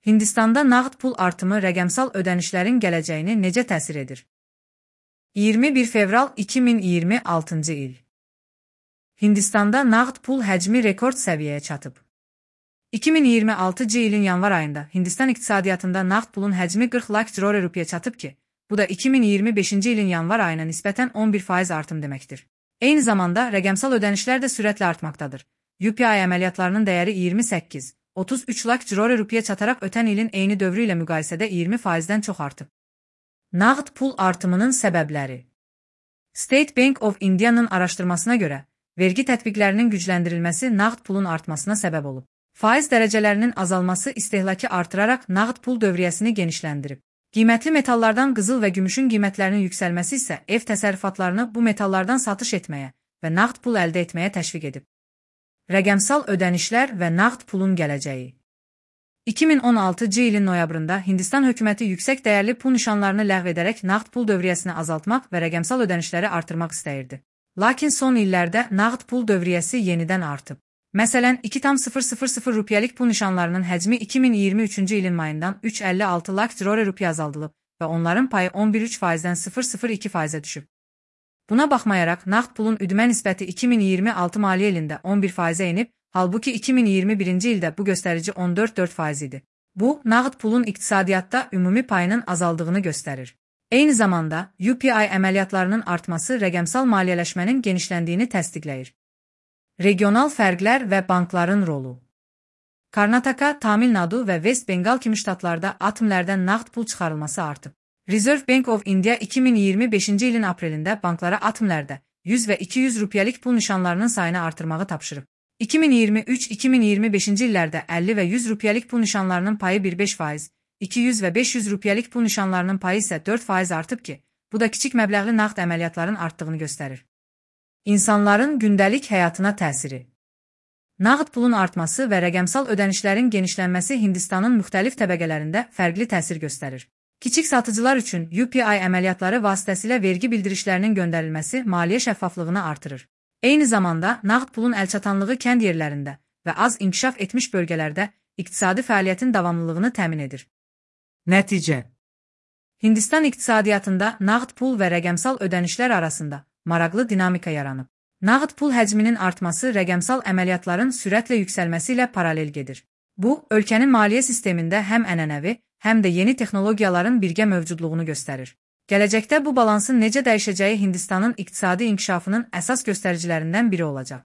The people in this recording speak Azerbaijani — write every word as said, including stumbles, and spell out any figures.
Hindistanda nağd pul artımı rəqəmsal ödənişlərin gələcəyini necə təsir edir? iyirmi bir fevral iki min iyirmi altıncı il. Hindistanda nağd pul həcmi rekord səviyyəyə çatıb. iki min iyirmi altıncı ilin yanvar ayında Hindistan iqtisadiyyatında nağd pulun həcmi qırx lak crore rupiyə çatıb ki, bu da iki min iyirmi beşinci ilin yanvar ayına nisbətən on bir faiz artım deməkdir. Eyni zamanda rəqəmsal ödənişlər də sürətlə artmaqdadır. U P I əməliyyatlarının dəyəri iyirmi səkkiz otuz üç lak crore rupiyə çataraq ötən ilin eyni dövrü ilə müqayisədə iyirmi faizdən çox artıb. Nağd pul artımının səbəbləri. State Bank of India'nın araşdırmasına görə, vergi tətbiqlərinin gücləndirilməsi nağd pulun artmasına səbəb olub. Faiz dərəcələrinin azalması istehlakı artıraraq nağd pul dövriyyəsini genişləndirib. Qiymətli metallardan qızıl və gümüşün qiymətlərinin yüksəlməsi isə ev təsərrüfatlarını bu metallardan satış etməyə və nağd pul əldə etməyə təşviq edib. Rəqəmsal ödənişlər və nağd pulun gələcəyi. iki min on altıncı ilin noyabrında Hindistan hökuməti yüksək dəyərli pul nişanlarını ləğv edərək nağd pul dövriyyəsini azaltmaq və rəqəmsal ödənişləri artırmaq istəyirdi. Lakin son illərdə nağd pul dövriyyəsi yenidən artıb. Məsələn, iki tam sıfır sıfır sıfır rupiyəlik pul nişanlarının həcmi iki min iyirmi üçüncü ilin mayından üç əlli altı lak crore rupiyə azaldılıb və onların payı on bir üç faizdən sıfır sıfır iki faizə düşüb. Buna baxmayaraq, nağd pulun üdmə nisbəti iki min iyirmi altı maliyyə ilində on bir faizə enib, halbuki iki min iyirmi birinci ildə bu göstərici on dörd dörd faiz idi. Bu, nağd pulun iqtisadiyyatda ümumi payının azaldığını göstərir. Eyni zamanda, U P I əməliyyatlarının artması rəqəmsal maliyyələşmənin genişləndiyini təsdiqləyir. Regional fərqlər və bankların rolu. Karnataka, Tamil Nadu və West Bengal kimi ştatlarda atomlərdən nağd pul çıxarılması artıb. Reserve Bank of India iki min iyirmi beşinci ilin aprelində banklara atomlərdə yüz və iki yüz rupiyəlik pul nişanlarının sayını artırmağı tapşırıb. iki min iyirmi üç iki min iyirmi beşinci illərdə əlli və yüz rupiyəlik pul nişanlarının payı bir beş faiz, iki yüz və beş yüz rupiyəlik pul nişanlarının payı isə dörd faiz artıb ki, bu da kiçik məbləğli nağd əməliyyatların artdığını göstərir. İnsanların gündəlik həyatına təsiri. Nağd pulun artması və rəqəmsal ödənişlərin genişlənməsi Hindistanın müxtəlif təbəqələrində fərqli təsir göstərir. Kiçik satıcılar üçün U P I əməliyyatları vasitəsilə vergi bildirişlərinin göndərilməsi maliyyə şəffaflığını artırır. Eyni zamanda, nağd pulun əlçatanlığı kənd yerlərində və az inkişaf etmiş bölgələrdə iqtisadi fəaliyyətin davamlılığını təmin edir. Nəticə. Hindistan iqtisadiyyatında nağd pul və rəqəmsal ödənişlər arasında maraqlı dinamika yaranıb. Nağd pul həcminin artması rəqəmsal əməliyyatların sürətlə yüksəlməsi ilə paralel gedir. Bu, ölkənin maliyyə sistemində həm ənənəvi, həm də yeni texnologiyaların birgə mövcudluğunu göstərir. Gələcəkdə bu balansın necə dəyişəcəyi Hindistanın iqtisadi inkişafının əsas göstəricilərindən biri olacaq.